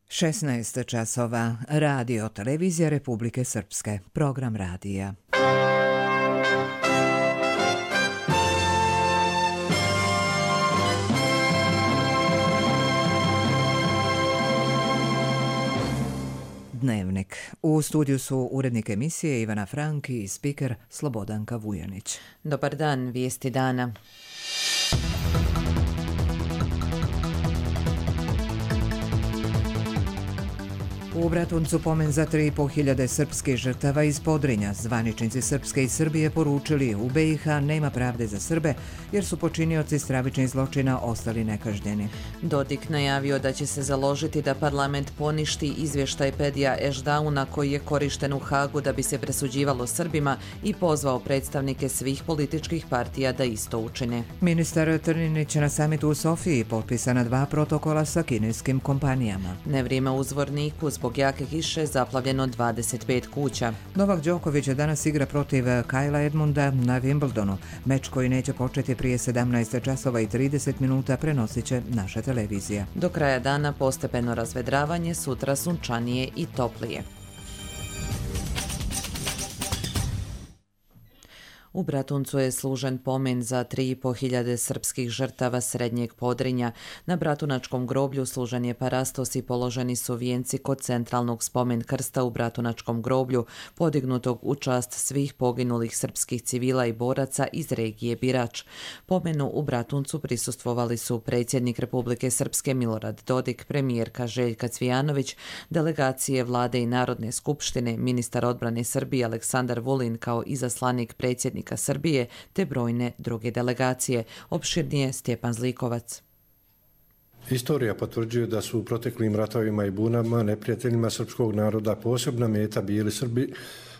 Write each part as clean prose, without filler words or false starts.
16 časova. Radio Televizija Republike Srpske. Program radija. Dnevnik. U studiju su urednik emisije Ivana Franki i spiker Slobodanka Vujanić. Dobar dan, vijesti dana. U Bratuncu pomen za 3.500 srpskih žrtava iz Podrinja. Zvaničnici Srpske i Srbije poručili u BiH nema pravde za Srbe jer su počinioci stravičnih zločina ostali nekažnjeni. Dodik najavio da će se založiti da parlament poništi izvještaj Pedija Ešdauna koji je korišten u Hagu da bi se presuđivalo Srbima i pozvao predstavnike svih političkih partija da isto učine. Ministar Trninić na samitu u Sofiji potpisana 2 protokola sa kineskim kompanijama. Nevrijeme u Zvorniku, zbog jake kiše zaplavljeno 25 kuća. Novak Đoković danas igra protiv Kajla Edmunda na Wimbledonu. Meč koji neće početi prije 17 časova i 30 minuta prenosit će naša televizija. Do kraja dana postepeno razvedravanje, sutra sunčanije i toplije. U Bratuncu je služen pomen za 3.500 srpskih žrtava Srednjeg Podrinja. Na Bratunačkom groblju služen je parastos i položeni su vijenci kod centralnog spomen krsta u Bratunačkom groblju, podignutog u čast svih poginulih srpskih civila i boraca iz regije Birač. Pomenu u Bratuncu prisustvovali su predsjednik Republike Srpske Milorad Dodik, premijerka Željka Cvijanović, delegacije Vlade i Narodne skupštine, ministar odbrane Srbije Aleksandar Vulin kao izaslanik predsjednika Srbije te brojne druge delegacije. Opširnije Stjepan Zlikovac. Istorija potvrđuje da su u proteklim ratovima i bunama neprijateljima srpskog naroda posebna meta bili Srbi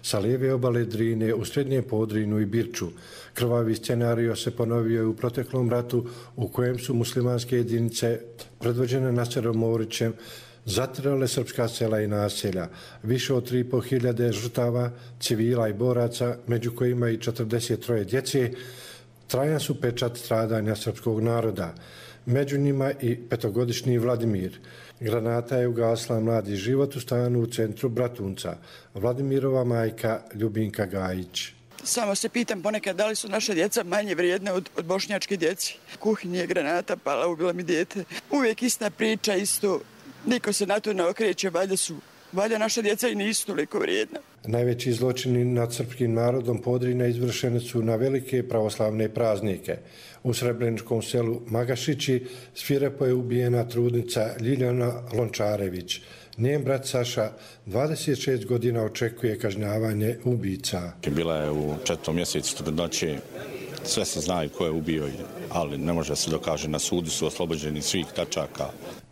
sa lijeve obale Drine u Srednjem Podrinju i Birču. Krvavi scenario se ponovio i u proteklom ratu u kojem su muslimanske jedinice predvođene Naserom Morićem zatirale srpska sela i naselja. Više od 3.500 žrtava, civila i boraca, među kojima i 43 djece, trajan su pečat stradanja srpskog naroda. Među njima i 5-godišnji Vladimir. Granata je ugasla mladi život u stanu u centru Bratunca. Vladimirova majka Ljubinka Gajić. Samo se pitam ponekad da li su naše djeca manje vrijedne od bošnjačke djeci. U kuhinji je granata pala, ubila mi dijete. Uvijek ista priča, isto. Niko se na to ne okreće, valjda naša djeca i nisu toliko vrijedna. Najveći zločini nad srpskim narodom Podrinja izvršeni su na velike pravoslavne praznike. U srebreničkom selu Magašići svirepo je ubijena trudnica Ljiljana Lončarević. Njen brat Saša 26 godina očekuje kažnjavanje ubica. Bila je u 4. mjesecu trudnoće. Sve se znaju ko je ubio, ali ne može se dokaže. Na sudu su oslobođeni svih tačaka.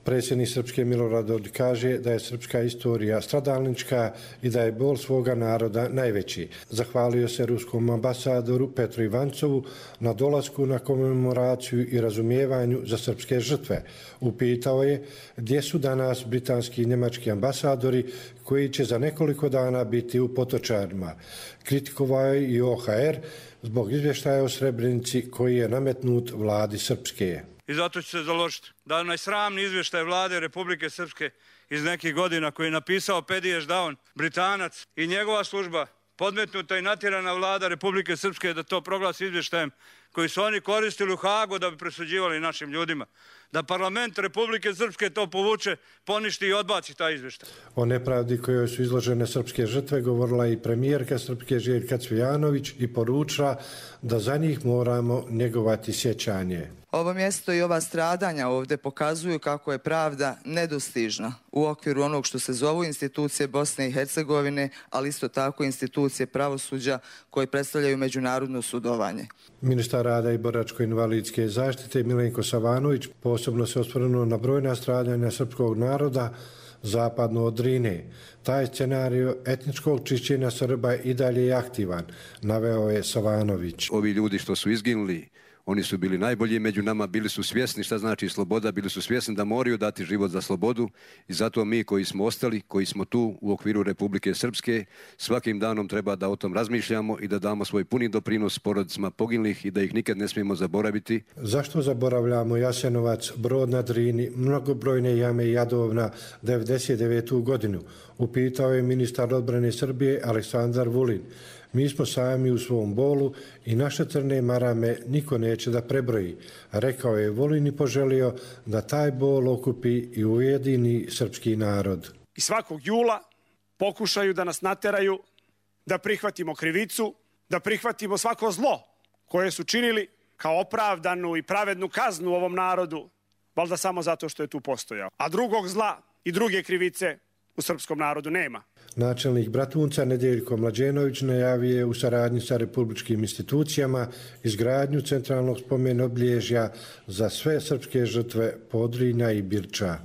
Predsjednik Srpske Milorad Dodik kaže da je srpska istorija stradalnička i da je bol svoga naroda najveći. Zahvalio se ruskom ambasadoru Petru Ivancovu na dolasku na komemoraciju i razumijevanju za srpske žrtve. Upitao je gdje su danas britanski i njemački ambasadori koji će za nekoliko dana biti u Potočarima. Kritikovao je i OHR zbog izvještaja o Srebrenici koji je nametnut vladi Srpske. I zato ću se založiti da onaj sramni izvještaj vlade Republike Srpske iz nekih godina koji je napisao Pedije Ešdaun, Britanac i njegova služba, podmetnuta i natjerana vlada Republike Srpske da to proglasi izvještajem koji su oni koristili u Hagu da bi presuđivali našim ljudima. Da parlament Republike Srpske to povuče, poništi i odbaci taj izvještaj. O nepravdi kojoj su izložene srpske žrtve govorila i premijerka Srpske Željka Cvijanović i poručila da za njih moramo njegovati sjećanje. Ovo mjesto i ova stradanja ovdje pokazuju kako je pravda nedostižna u okviru onog što se zovu institucije Bosne i Hercegovine, ali isto tako institucije pravosuđa koje predstavljaju međunarodno sudovanje. Ministar rada i boračko-invalidske zaštite Milenko Savanović posebno se osvrnuo na brojna stradanja srpskog naroda zapadno od Drine. Taj scenario etničkog čišćenja Srba i dalje je aktivan, naveo je Savanović. Ovi ljudi što su izginuli Oni su bili najbolji među nama, bili su svjesni šta znači sloboda, bili su svjesni da moraju dati život za slobodu i zato mi koji smo ostali, koji smo tu u okviru Republike Srpske, svakim danom treba da o tom razmišljamo i da damo svoj puni doprinos porodicama poginulih i da ih nikad ne smijemo zaboraviti. Zašto zaboravljamo Jasenovac, Brod na Drini, mnogobrojne jame i Jadovna 1999. godinu? Upitao je ministar odbrane Srbije Aleksandar Vulin. Mi smo sami u svom bolu i naše crne marame niko neće da prebroji, rekao je Vulin i poželio da taj bol okupi i ujedini srpski narod. I svakog jula pokušaju da nas nateraju da prihvatimo krivicu, da prihvatimo svako zlo koje su činili kao opravdanu i pravednu kaznu ovom narodu, valjda samo zato što je tu postojao. A drugog zla i druge krivice u srpskom narodu nema. Načelnik Bratunca Nedeljko Mlađenović najavio je u saradnji sa republičkim institucijama izgradnju centralnog spomen obilježja za sve srpske žrtve Podrinja i Birča.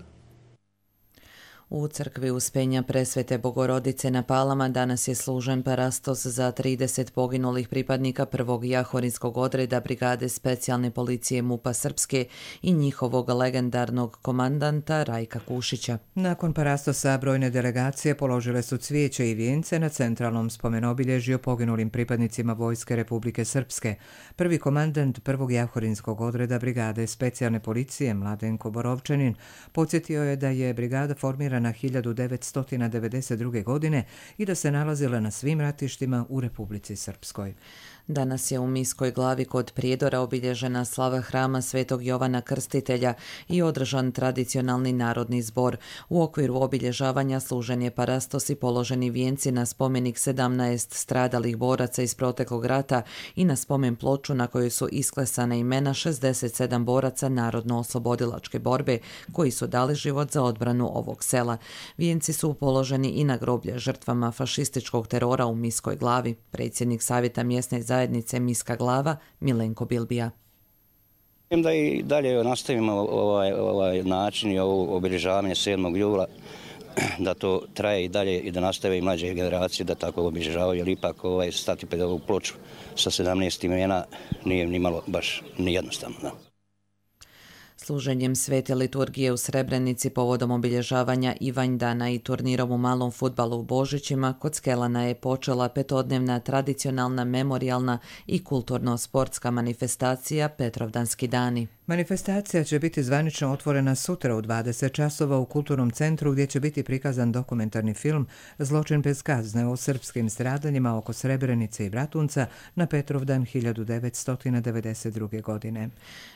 U crkvi Uspenja Presvete Bogorodice na Palama danas je služen parastos za 30 poginulih pripadnika prvog jahorinskog odreda Brigade specijalne policije MUP-a Srpske i njihovog legendarnog komandanta Rajka Kušića. Nakon parastosa brojne delegacije položile su cvijeće i vijence na centralnom spomenobilježju poginulim pripadnicima Vojske Republike Srpske. Prvi komandant prvog jahorinskog odreda Brigade specijalne policije Mladenko Borovčanin podsjetio je da je brigada formirana 1992. godine i da se nalazila na svim ratištima u Republici Srpskoj. Danas je u Miskoj Glavi kod Prijedora obilježena slava hrama Svetog Jovana Krstitelja i održan tradicionalni narodni zbor. U okviru obilježavanja služen je parastos i položeni vijenci na spomenik 17 stradalih boraca iz proteklog rata i na spomen ploču na kojoj su isklesane imena 67 boraca narodno-oslobodilačke borbe koji su dali život za odbranu ovog sela. Vijenci su položeni i na groblje žrtvama fašističkog terora u Miskoj Glavi. Predsjednik Savjeta mjesne zajednice Miska Glava Milenko Bilbija. Da i dalje nastavimo ovaj način i ovo obilježavanje 7. jula, da to traje i dalje i da nastave i mlađe generacije da tako obilježavaju, jer ipak stati pred ovu ploču sa 17 imena nije ni malo baš ni jednostavno. Da. Služenjem svete liturgije u Srebrenici povodom obilježavanja Ivanjdana i turnirom u malom fudbalu u Božićima kod Skelana je počela petodnevna tradicionalna memorijalna i kulturno-sportska manifestacija Petrovdanski dani. Manifestacija će biti zvanično otvorena sutra u 20 časova u Kulturnom centru gdje će biti prikazan dokumentarni film Zločin bez kazne o srpskim stradanjima oko Srebrenice i Bratunca na Petrovdan 1992. godine.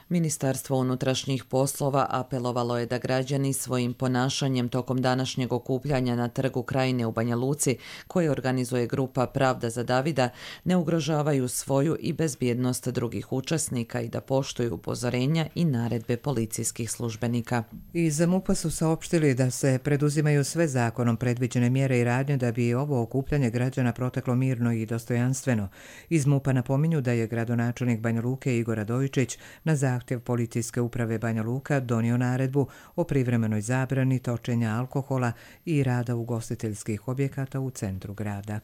Ministarstvo unutrašnjih poslova apelovalo je da građani svojim ponašanjem tokom današnjeg okupljanja na Trgu Krajine u Banja Luci, koje organizuje grupa Pravda za Davida, ne ugrožavaju svoju i bezbjednost drugih učesnika i da poštuju upozorenja i naredbe policijskih službenika. Iz MUP-a su saopštili da se preduzimaju sve zakonom predviđene mjere i radnje da bi ovo okupljanje građana proteklo mirno i dostojanstveno. Iz MUP-a napominju da je gradonačelnik Banja Luke Igor Radojičić na zahtjev policijske uprave Banja Luka donio naredbu o privremenoj zabrani točenja alkohola i rada ugostiteljskih objekata u centru grada.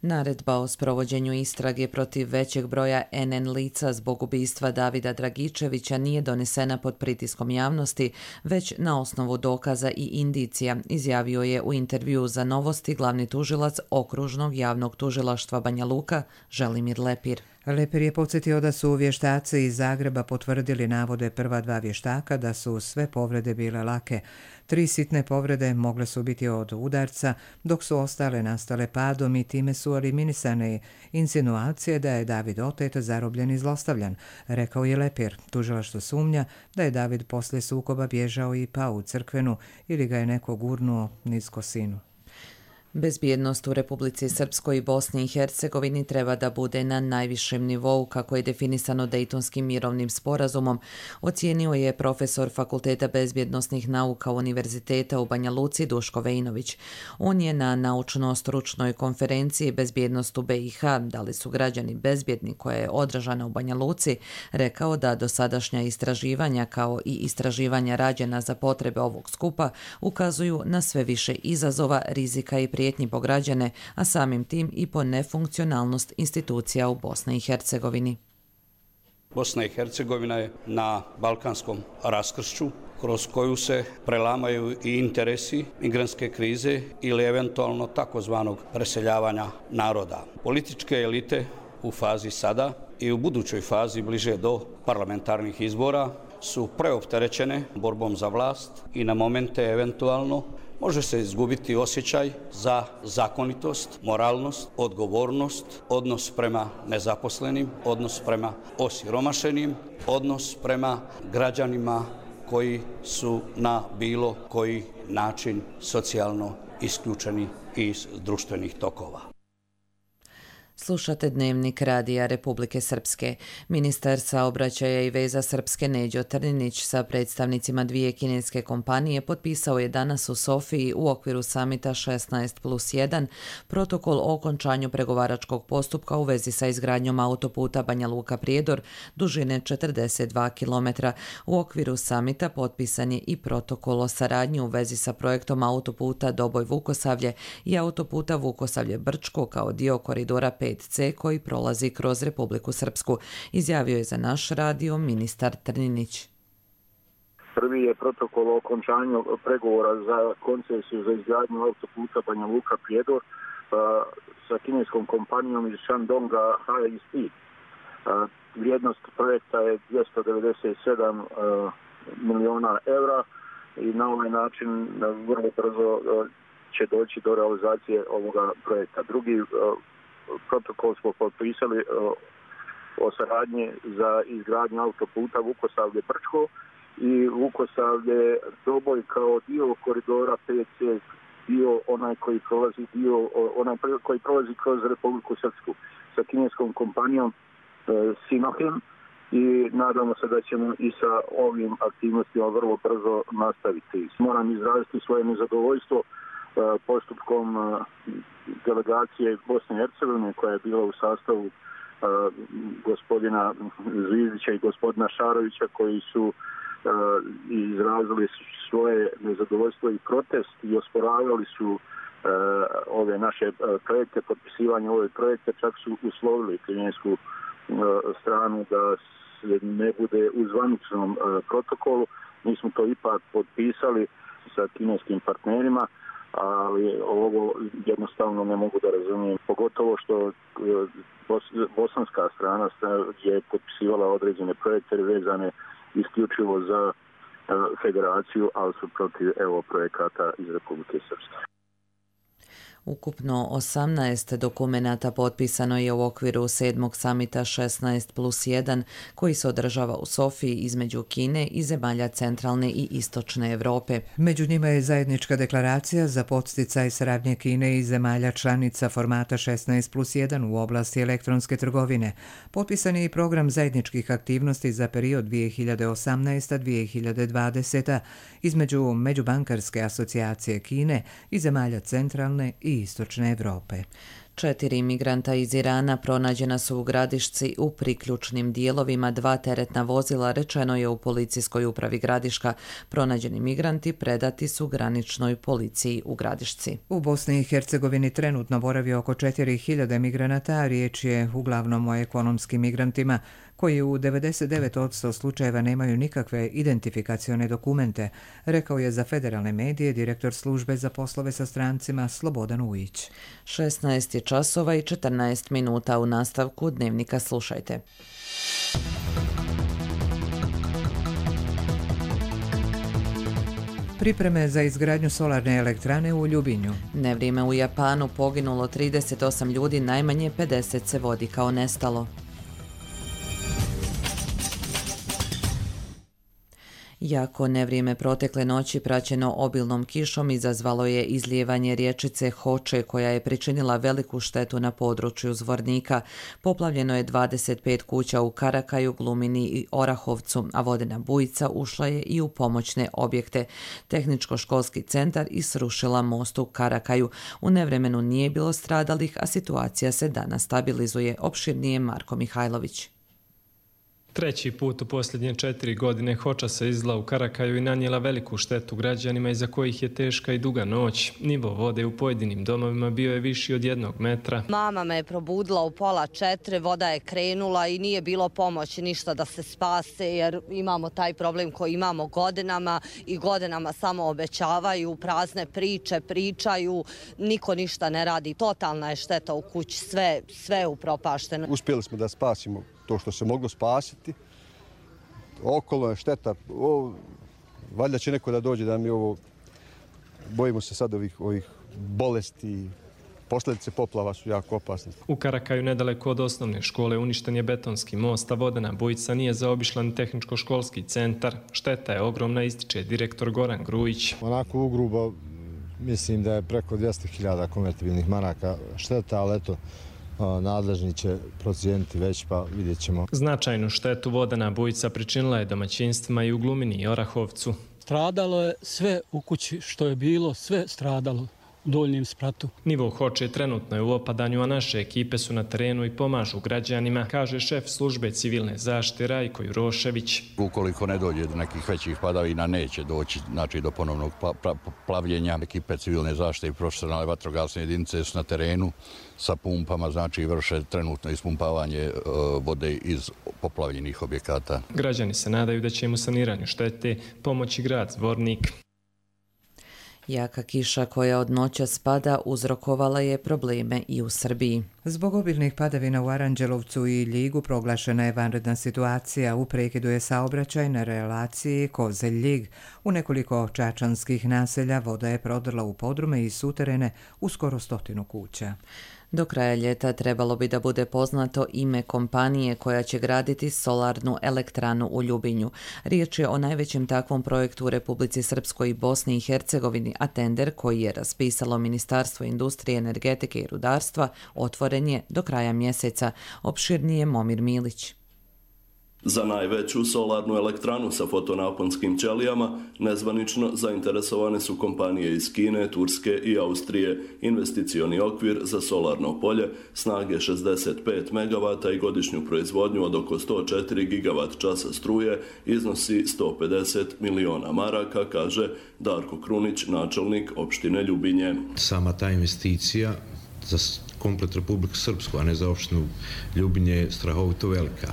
Naredba o sprovođenju istrage protiv većeg broja NN lica zbog ubistva Davida Dragičevića nije donesena pod pritiskom javnosti, već na osnovu dokaza i indicija, izjavio je u intervjuu za Novosti glavni tužilac Okružnog javnog tužilaštva Banja Luka Želimir Lepir. Lepir je podsjetio da su vještaci iz Zagreba potvrdili navode prva dva vještaka da su sve povrede bile lake. 3 sitne povrede mogle su biti od udarca, dok su ostale nastale padom i time su eliminisane insinuacije da je David otet, zarobljen i zlostavljan, rekao je Lepir. Tužilaštvo sumnja da je David poslije sukoba bježao i pao u crkvenu ili ga je neko gurnuo niz kosinu. Bezbjednost u Republici Srpskoj i Bosni i Hercegovini treba da bude na najvišem nivou, kako je definisano Dejtonskim mirovnim sporazumom, ocijenio je profesor Fakulteta bezbjednosnih nauka Univerziteta u Banja Luci Duško Vejnović. On je na naučno-stručnoj konferenciji Bezbjednost u BiH, da li su građani bezbjedni, koja je održana u Banja Luci, rekao da dosadašnja istraživanja kao i istraživanja rađena za potrebe ovog skupa ukazuju na sve više izazova, rizika i prijetnji po građane, a samim tim i po nefunkcionalnost institucija u Bosni i Hercegovini. Bosna i Hercegovina je na balkanskom raskršću kroz koju se prelamaju i interesi migrantske krize ili eventualno takozvanog preseljavanja naroda. Političke elite u fazi sada i u budućoj fazi bliže do parlamentarnih izbora su preopterećene borbom za vlast i na momente eventualno može se izgubiti osjećaj za zakonitost, moralnost, odgovornost, odnos prema nezaposlenim, odnos prema osiromašenim, odnos prema građanima koji su na bilo koji način socijalno isključeni iz društvenih tokova. Slušate Dnevnik Radija Republike Srpske. Ministar saobraćaja i veza Srpske Neđo Trninić sa predstavnicima dvije kineske kompanije potpisao je danas u Sofiji u okviru samita 16+1 protokol o okončanju pregovaračkog postupka u vezi sa izgradnjom autoputa Banja Luka-Prijedor dužine 42 km. U okviru samita potpisan je i protokol o saradnji u vezi sa projektom autoputa Doboj-Vukosavlje i autoputa Vukosavlje-Brčko kao dio koridora 5C koji prolazi kroz Republiku Srpsku, izjavio je za naš radio ministar Trninić. Prvi je protokol o okončanju pregovora za koncesiju za izgradnju autoputa Banja Luka-Prijedor sa kineskom kompanijom iz Shandonga HIC. Vrijednost projekta je 297 miliona evra i na ovaj način vrlo brzo će doći do realizacije ovoga projekta. Drugi protokol smo potpisali o saradnji za izgradnju autoputa Vukosavlje-Brčko i Vukosavlje-Doboj kao dio koridora 5C, onaj koji prolazi kroz Republiku Srpsku sa kineskom kompanijom Sinochem i nadamo se da ćemo i sa ovim aktivnostima vrlo brzo nastaviti. Moram izraziti svoje nezadovoljstvo postupkom delegacije Bosne i Hercegovine koja je bila u sastavu gospodina Zvizdića i gospodina Šarovića koji su izrazili svoje nezadovoljstvo i protest i osporavali su ove naše projekte, potpisivanje ove projekte, čak su uslovili kinesku stranu da se ne bude u zvaničnom protokolu. Mi smo to ipak potpisali sa kineskim partnerima, ali ovo jednostavno ne mogu da razumijem. Pogotovo što bosanska strana je potpisivala određene projekte vezane isključivo za federaciju, ali su protiv projekata iz Republike Srpske. Ukupno 18 dokumenata potpisano je u okviru 7. samita 16+1 koji se održava u Sofiji između Kine i zemalja centralne i istočne Evrope. Među njima je zajednička deklaracija za podsticaj saradnje Kine i zemalja članica formata 16+1 u oblasti elektronske trgovine. Potpisan je i program zajedničkih aktivnosti za period 2018-2020 između Međubankarske asocijacije Kine i zemalja centralne i istočne Evrope. 4 imigranta iz Irana pronađena su u Gradišci u priključnim dijelovima 2 teretna vozila, rečeno je u policijskoj upravi Gradiška. Pronađeni migranti predati su graničnoj policiji u Gradišci. U Bosni i Hercegovini trenutno boravi oko 4000 migranata, a riječ je uglavnom o ekonomskim migrantima koji u 99% slučajeva nemaju nikakve identifikacione dokumente, rekao je za federalne medije direktor službe za poslove sa strancima Slobodan Ujić. 16 je časova i 14 minuta u nastavku Dnevnika slušajte. Pripreme za izgradnju solarne elektrane u Ljubinju. Nevrijeme u Japanu, poginulo 38 ljudi, najmanje 50 se vodi kao nestalo. Jako nevrijeme protekle noći praćeno obilnom kišom izazvalo je izlijevanje rječice Hoče koja je pričinila veliku štetu na području Zvornika. Poplavljeno je 25 kuća u Karakaju, Glumini i Orahovcu, a vodena bujica ušla je i u pomoćne objekte. Tehničko-školski centar i srušila most u Karakaju. U nevremenu nije bilo stradalih, a situacija se danas stabilizuje. Opširnije Marko Mihajlović. Treći put u posljednje 4 godine hoča se izla u Karakaju i nanijela veliku štetu građanima iza kojih je teška i duga noć. Nivo vode u pojedinim domovima bio je viši od 1 metra. Mama me je probudila u 3:30, voda je krenula i nije bilo pomoći ništa da se spase jer imamo taj problem koji imamo godinama i godinama samo obećavaju, prazne priče, pričaju, niko ništa ne radi. Totalna je šteta u kući, sve je upropašteno. Uspjeli smo da spasimo to što se moglo spasiti. Okolo je šteta. Valjda će neko da dođe da mi ovo... Bojimo se sad ovih bolesti. Posljedice poplava su jako opasne. U Karakaju nedaleko od osnovne škole uništen je betonski most, a vodena bujica nije zaobišla ni tehničko-školski centar. Šteta je ogromna, ističe direktor Goran Grujić. Onako ugrubo mislim da je preko 200.000 konvertibilnih maraka šteta, ali eto, nadležni će procijeniti već, pa vidjet ćemo. Značajnu štetu vodena bujica pričinila je domaćinstvima i u Glumini i Orahovcu. Stradalo je sve u kući što je bilo, sve stradalo u Donjem Spratu. Nivo hoče trenutno je u opadanju, a naše ekipe su na terenu i pomažu građanima, kaže šef službe civilne zaštite Rajko Jurošević. Ukoliko ne dođe do nekih većih padavina, neće doći do ponovnog plavljenja. Ekipe civilne zaštite i profesionalne vatrogasne jedinice su na terenu sa pumpama, znači vrše trenutno ispumpavanje vode iz poplavljenih objekata. Građani se nadaju da će im u saniranju štete pomoći grad Zvornik. Jaka kiša koja od noćas pada uzrokovala je probleme i u Srbiji. Zbog obilnih padavina u Aranđelovcu i Ljigu proglašena je vanredna situacija. U prekidu je saobraćaj na relaciji Kozelj-Ljig. U nekoliko čačanskih naselja voda je prodrla u podrume i suterene u skoro 100 kuća. Do kraja ljeta trebalo bi da bude poznato ime kompanije koja će graditi solarnu elektranu u Ljubinju. Riječ je o najvećem takvom projektu u Republici Srpskoj i Bosni i Hercegovini, a tender koji je raspisalo Ministarstvo industrije, energetike i rudarstva otvoren je do kraja mjeseca. Opširnije Momir Milić. Za najveću solarnu elektranu sa fotonaponskim ćelijama nezvanično zainteresovane su kompanije iz Kine, Turske i Austrije. Investicioni okvir za solarno polje snage 65 MW i godišnju proizvodnju od oko 104 GWh struje iznosi 150 miliona maraka, kaže Darko Krunić, načelnik opštine Ljubinje. Sama ta investicija za komplet Republiku Srpsku, a ne za opštinu Ljubinje, je strahovito velika.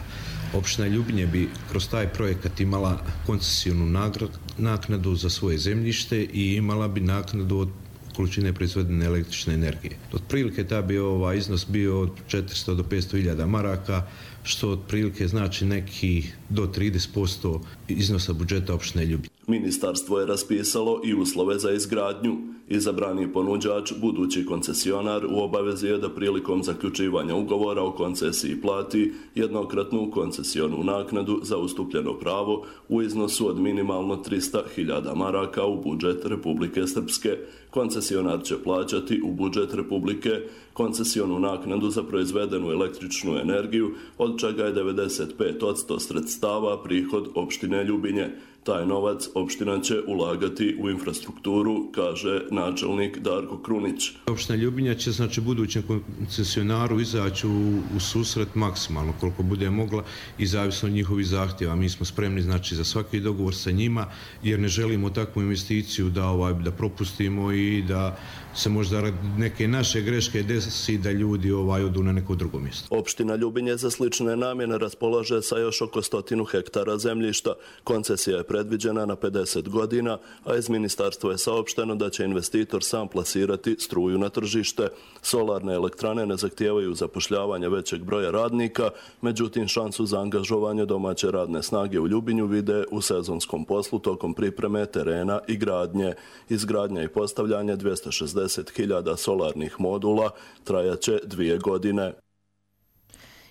Opština Ljubinje bi kroz taj projekat imala koncesionu naknadu za svoje zemljište i imala bi naknadu od količine proizvedene električne energije. Otprilike ta bi iznos bio od 400 do 500.000 maraka, što otprilike znači neki do 30% iznosa budžeta opštine Ljubinje. Ministarstvo je raspisalo i uslove za izgradnju. Izabrani ponuđač, budući koncesionar, u obavezi je da prilikom zaključivanja ugovora o koncesiji plati jednokratnu koncesionu naknadu za ustupljeno pravo u iznosu od minimalno 300.000 maraka u budžet Republike Srpske. Koncesionar će plaćati u budžet Republike koncesionu naknadu za proizvedenu električnu energiju, od čega je 95% sredstava prihod opštine Ljubinje. Taj novac opština će ulagati u infrastrukturu, kaže načelnik Darko Krunić. Opština Ljubinja će budućem koncesionaru izaći u susret maksimalno koliko bude mogla i zavisno od njihovih zahtjeva. Mi smo spremni za svaki dogovor sa njima jer ne želimo takvu investiciju da propustimo i da se možda neke naše greške desi da ljudi odu na neko drugo mjesto. Opština Ljubinje za slične namjene raspolaže sa još oko 100 hektara zemljišta. Koncesija je predviđena na 50 godina, a iz ministarstva je saopšteno da će investitor sam plasirati struju na tržište. Solarne elektrane ne zahtijevaju zapošljavanje većeg broja radnika, međutim šansu za angažovanje domaće radne snage u Ljubinju vide u sezonskom poslu tokom pripreme terena i gradnje. Izgradnja i postavljanje 260.000 solarnih modula trajaće 2 godine.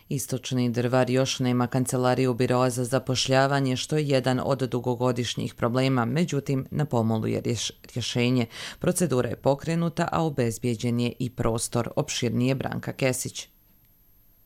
Istočni Drvar još nema kancelariju biroa za zapošljavanje, što je jedan od dugogodišnjih problema, međutim na pomolu je rješenje. Procedura je pokrenuta, a obezbijeđen je i prostor. Opširnije Branka Kesić.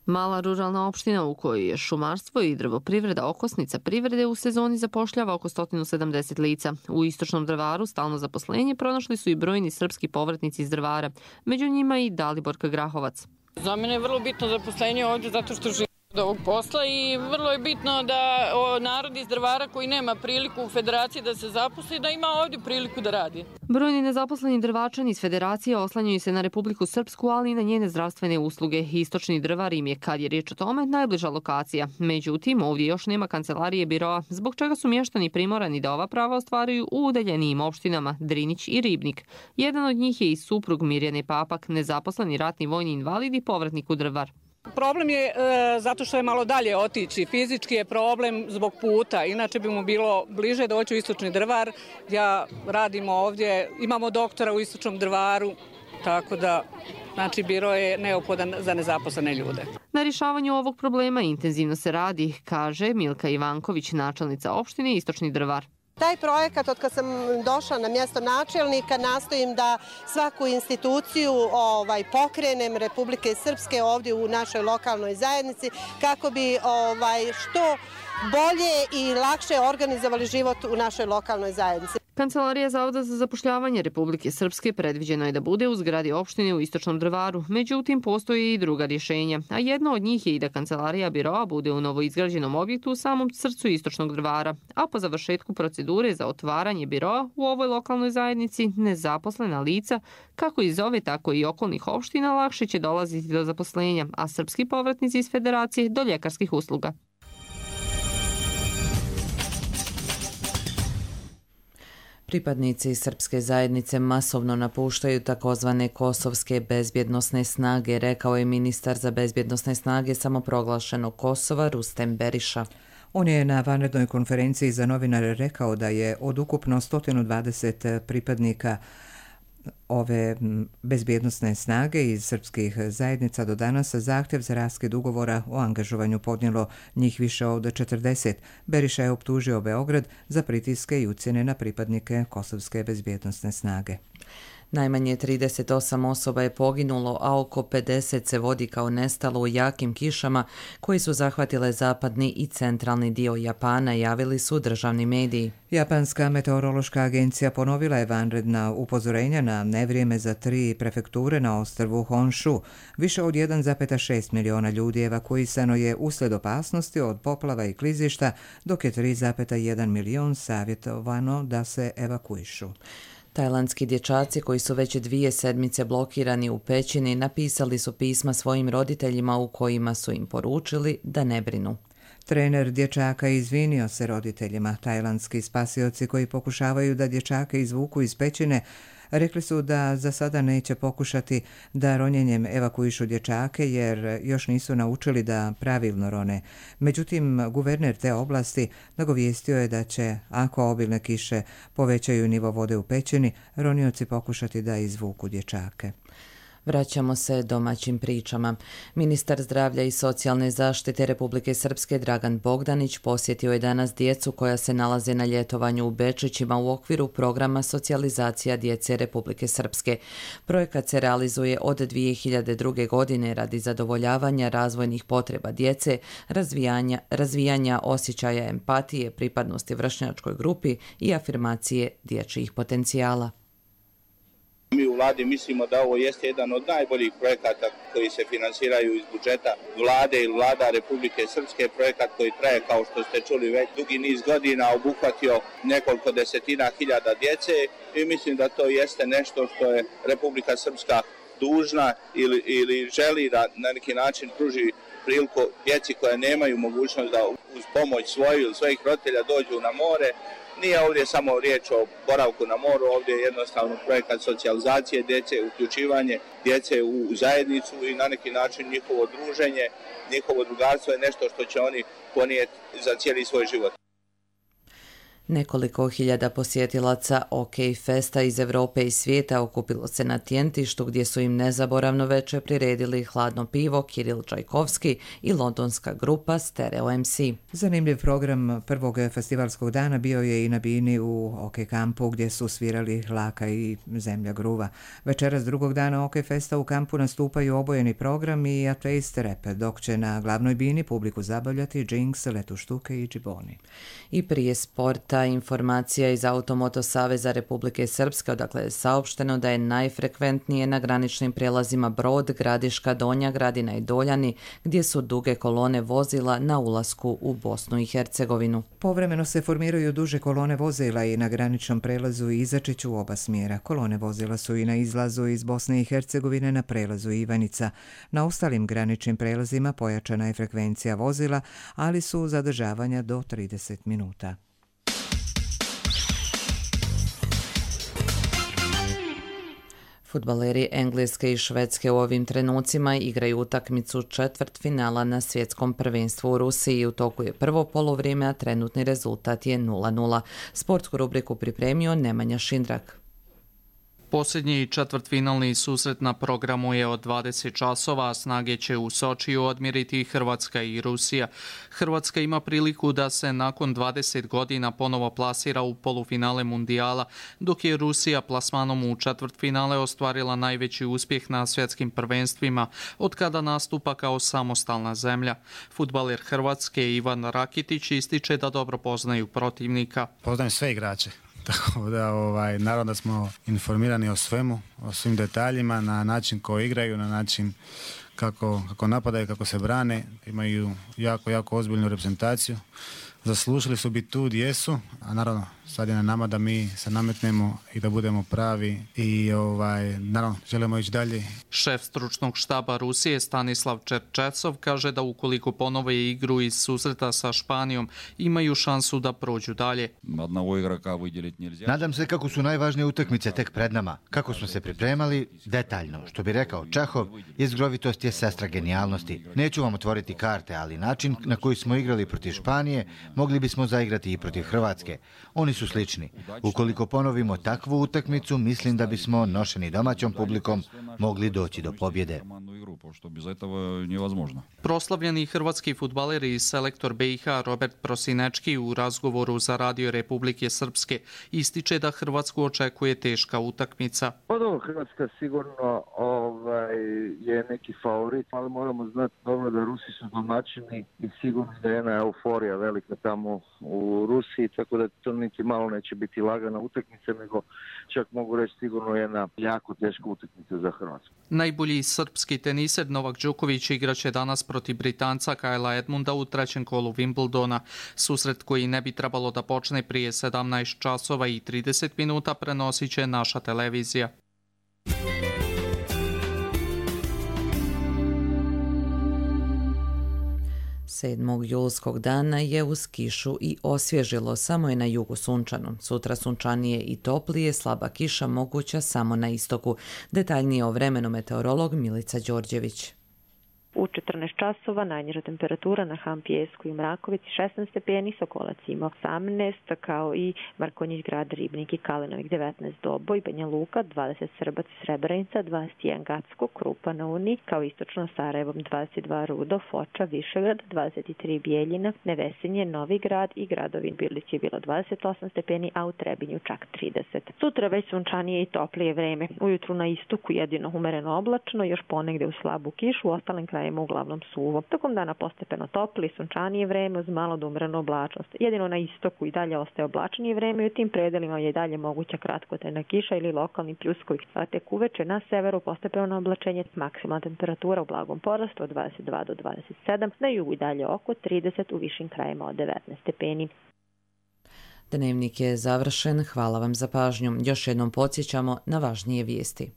Mala ruralna opština u kojoj je šumarstvo i drvoprivreda okosnica privrede u sezoni zapošljava oko 170 lica. U Istočnom Drvaru stalno zaposlenje pronašli su i brojni srpski povratnici iz Drvara, među njima i Daliborka Grahovac. Za mene je vrlo bitno zaposlenje ovdje zato što živim ovog posla i vrlo je bitno da narod iz Drvara koji nema priliku u federaciji da se zaposli, da ima ovdje priliku da radi. Brojni nezaposleni Drvačani iz federacije oslanjaju se na Republiku Srpsku, ali i na njene zdravstvene usluge. Istočni Drvar im je, kad je riječ o tome, najbliža lokacija. Međutim, ovdje još nema kancelarije biroa, zbog čega su mještani primorani da ova prava ostvaruju u udaljenijim opštinama Drinić i Ribnik. Jedan od njih je i suprug Mirjane Papak, nezaposleni ratni vojni invalid i povratnik u Drvar. Problem je zato što je malo dalje otići. Fizički je problem zbog puta. Inače bi mu bilo bliže doći u Istočni Drvar. Ja radim ovdje, imamo doktora u Istočnom Drvaru, tako da znači biro je neophodan za nezaposlene ljude. Na rješavanju ovog problema intenzivno se radi, kaže Milka Ivanković, načelnica opštine Istočni Drvar. Taj projekat, od kad sam došla na mjesto načelnika, nastojim da svaku instituciju pokrenem Republike Srpske ovdje u našoj lokalnoj zajednici kako bi što bolje i lakše organizovali život u našoj lokalnoj zajednici. Kancelarija Zavoda za zapošljavanje Republike Srpske predviđeno je da bude u zgradi opštine u Istočnom Drvaru, međutim postoje i druga rješenja, a jedno od njih je i da kancelarija biroa bude u novoizgrađenom objektu u samom srcu Istočnog Drvara, a po završetku procedure za otvaranje biroa u ovoj lokalnoj zajednici nezaposlena lica, kako iz ove tako i okolnih opština, lakše će dolaziti do zaposlenja, a srpski povratnici iz federacije do ljekarskih usluga. Pripadnici srpske zajednice masovno napuštaju takozvane kosovske bezbjednosne snage, rekao je ministar za bezbjednosne snage samoproglašenog Kosova Rustem Beriša. On je na vanrednoj konferenciji za novinare rekao da je od ukupno 120 pripadnika ove bezbjednosne snage iz srpskih zajednica do danas zahtjev za raskid ugovora o angažovanju podnijelo njih više od 40. Beriša je optužio Beograd za pritiske i ucjene na pripadnike kosovske bezbjednosne snage. Najmanje 38 osoba je poginulo, a oko 50 se vodi kao nestalo u jakim kišama koji su zahvatile zapadni i centralni dio Japana, javili su državni mediji. Japanska meteorološka agencija ponovila je vanredna upozorenja na nevrijeme za 3 prefekture na ostrvu Honshu. Više od 1,6 miliona ljudi evakuisano je uslijed opasnosti od poplava i klizišta, dok je 3,1 milion savjetovano da se evakuišu. Tajlandski dječaci koji su već 2 sedmice blokirani u pećini napisali su pisma svojim roditeljima u kojima su im poručili da ne brinu. Trener dječaka izvinio se roditeljima. Tajlandski spasioci koji pokušavaju da dječake izvuku iz pećine rekli su da za sada neće pokušati da ronjenjem evakuišu dječake jer još nisu naučili da pravilno rone. Međutim, guverner te oblasti nagovijestio je da će, ako obilne kiše povećaju nivo vode u pećini, ronioci pokušati da izvuku dječake. Vraćamo se domaćim pričama. Ministar zdravlja i socijalne zaštite Republike Srpske Dragan Bogdanić posjetio je danas djecu koja se nalaze na ljetovanju u Bečićima u okviru programa socijalizacija djece Republike Srpske. Projekat se realizuje od 2002. godine radi zadovoljavanja razvojnih potreba djece, razvijanja osjećaja empatije, pripadnosti vršnjačkoj grupi i afirmacije dječjih potencijala. Mi u vladi mislimo da ovo jeste jedan od najboljih projekata koji se finansiraju iz budžeta vlade ili vlada Republike Srpske, projekat koji traje, kao što ste čuli, već dugi niz godina, obuhvatio nekoliko desetina hiljada djece i mislim da to jeste nešto što je Republika Srpska dužna ili želi da na neki način pruži priliku djeci koje nemaju mogućnost da uz pomoć svoju ili svojih roditelja dođu na more. Nije ovdje samo riječ o boravku na moru, ovdje je jednostavno projekat socijalizacije djece, uključivanje djece u zajednicu i na neki način njihovo druženje, njihovo drugarstvo je nešto što će oni ponijeti za cijeli svoj život. Nekoliko hiljada posjetilaca OK Festa iz Europe i svijeta okupilo se na Tjentištu gdje su im nezaboravno veče priredili hladno pivo Kiril Čajkovski i londonska grupa Stereo MC. Zanimljiv program prvog festivalskog dana bio je i na bini u OK kampu gdje su svirali Laka i Zemlja gruva. Večeras drugog dana OK Festa u kampu nastupaju obojeni program i ateist rap, dok će na glavnoj bini publiku zabavljati Jinx, Letu štuke i Džiboni. I prije sporta Ta informacija iz Automoto Saveza Republike Srpske, odakle je saopšteno da je najfrekventnije na graničnim prijelazima Brod, Gradiška, Donja Gradina i Doljani, gdje su duge kolone vozila na ulasku u Bosnu i Hercegovinu. Povremeno se formiraju duže kolone vozila i na graničnom prelazu Izačić u oba smjera. Kolone vozila su i na izlazu iz Bosne i Hercegovine na prelazu Ivanica. Na ostalim graničnim prelazima pojačana je frekvencija vozila, ali su zadržavanja do 30 minuta. Fudbaleri Engleske i Švedske u ovim trenucima igraju utakmicu četvrtfinala na svjetskom prvenstvu u Rusiji. U toku je prvo polovrijeme, a trenutni rezultat je 0:0. Sportsku rubriku pripremio Nemanja Šindrak. Posljednji četvrtfinalni susret na programu je od 20 časova, a snage će u Sočiju odmjeriti Hrvatska i Rusija. Hrvatska ima priliku da se nakon 20 godina ponovo plasira u polufinale mundijala, dok je Rusija plasmanom u četvrtfinale ostvarila najveći uspjeh na svjetskim prvenstvima od kada nastupa kao samostalna zemlja. Fudbaler Hrvatske Ivan Rakitić ističe da dobro poznaju protivnika. Poznajem sve igrače. Tako da, naravno da smo informirani o svemu, o svim detaljima, na način koji igraju, na način kako napadaju, kako se brane. Imaju jako ozbiljnu reprezentaciju. Zaslužili su biti tu gdje jesu, a naravno sad je na nama da mi se nametnemo i da budemo pravi i naravno želimo ići dalje. Šef stručnog štaba Rusije Stanislav Čerčesov kaže da ukoliko ponove igru iz susreta sa Španijom imaju šansu da prođu dalje. Nadam se kako su najvažnije utakmice tek pred nama. Kako smo se pripremali, detaljno. Što bi rekao Čehov, jezgrovitost je sestra genijalnosti. Neću vam otvoriti karte, ali način na koji smo igrali protiv Španije mogli bismo zaigrati i protiv Hrvatske. Oni su slični. Ukoliko ponovimo takvu utakmicu, mislim da bismo, nošeni domaćom publikom, mogli doći do pobjede. Proslavljeni hrvatski fudbaler i selektor BiH Robert Prosinečki u razgovoru za Radio Republike Srpske ističe da Hrvatsku očekuje teška utakmica. Hrvatska sigurno je neki favorit, ali moramo znati dobro da Rusi su domaćini i sigurno da je jedna euforija velika tamo u Rusiji, tako da to niti malo neće biti lagana utakmica, nego čak mogu reći sigurno jedna jako teška utakmica za Hrvatsku. Najbolji srpski teniser Novak Đoković igraće danas protiv Britanca Kajla Edmunda u trećem kolu Wimbledona. Susret koji ne bi trebalo da počne prije 17 časova i 30 minuta prenosit će naša televizija. 7. julskog dana je uz kišu i osvježilo, samo je na jugu sunčano. Sutra sunčanije i toplije, slaba kiša moguća samo na istoku. Detaljnije o vremenu meteorolog Milica Đorđević. U 14 časova najniža temperatura na Han Pijesku i Mrakovici 16 stepeni, Sokolac ima 18, kao i Markonjić Grad, Ribnik i Kalinovik 19, Doboj, Banja Luka 20, Srbac i Srebrenica 21, Gacko, Krupa na Uni, kao istočno Sarajevom 22, Rudo, Foča, Višegrad 23, Bijeljina, Nevesinje, Novi Grad i gradovi Birlić je bilo 28 stepeni, a u Trebinju čak 30. Sutra već sunčanije i toplije vreme. Ujutru na istoku jedino umereno oblačno, još ponegde u slabu kišu, u ostalim krajima uglavnom suvo. Tokom dana postepeno topli, sunčanije vreme uz malo do umerenu oblačnost. Jedino na istoku i dalje ostaje oblačnije vreme i u tim predelima je dalje moguća kratkotrajna kiša ili lokalni pljuskovi. A tek uveče na severu postepeno oblačenje, maksimalna temperatura u blagom porastu od 22 do 27, na jugu i dalje oko 30, u višim krajima od 19 stepeni. Dnevnik je završen, hvala vam za pažnju. Još jednom podsjećamo na važnije vijesti.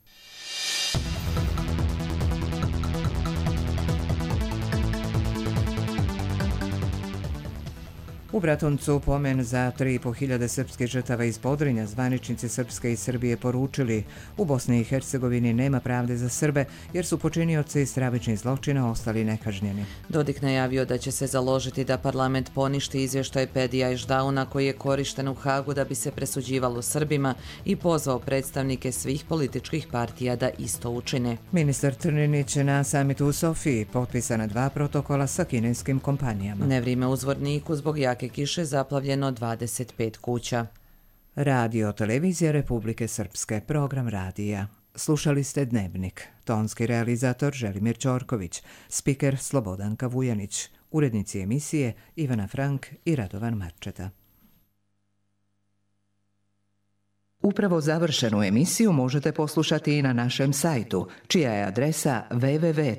U Bratuncu pomen za 3.500 srpskih žrtava iz Podrinja zvaničnici Srpske i Srbije poručili: u Bosni i Hercegovini nema pravde za Srbe jer su počinioci stravičnih zločina ostali nekažnjeni. Dodik najavio da će se založiti da parlament poništi izvještaj Pedija Ešdauna koji je korišten u Hagu da bi se presuđivalo Srbima i pozvao predstavnike svih političkih partija da isto učine. Ministar Trninić na samitu u Sofiji potpisana 2 protokola sa kineskim kompanijama. Nevrijeme u Zvorniku zbog jake kiše zaplavljeno 25 kuća. Radio Televizija Republike Srpske, program radija. Slušali ste Dnevnik. Tonski realizator Želimir Ćorković, spiker Slobodanka Vujanić, urednici emisije Ivana Frank i Radovan Marčeta. Upravo završenu emisiju možete poslušati i na našem sajtu, čija je adresa www.rtrs.tv.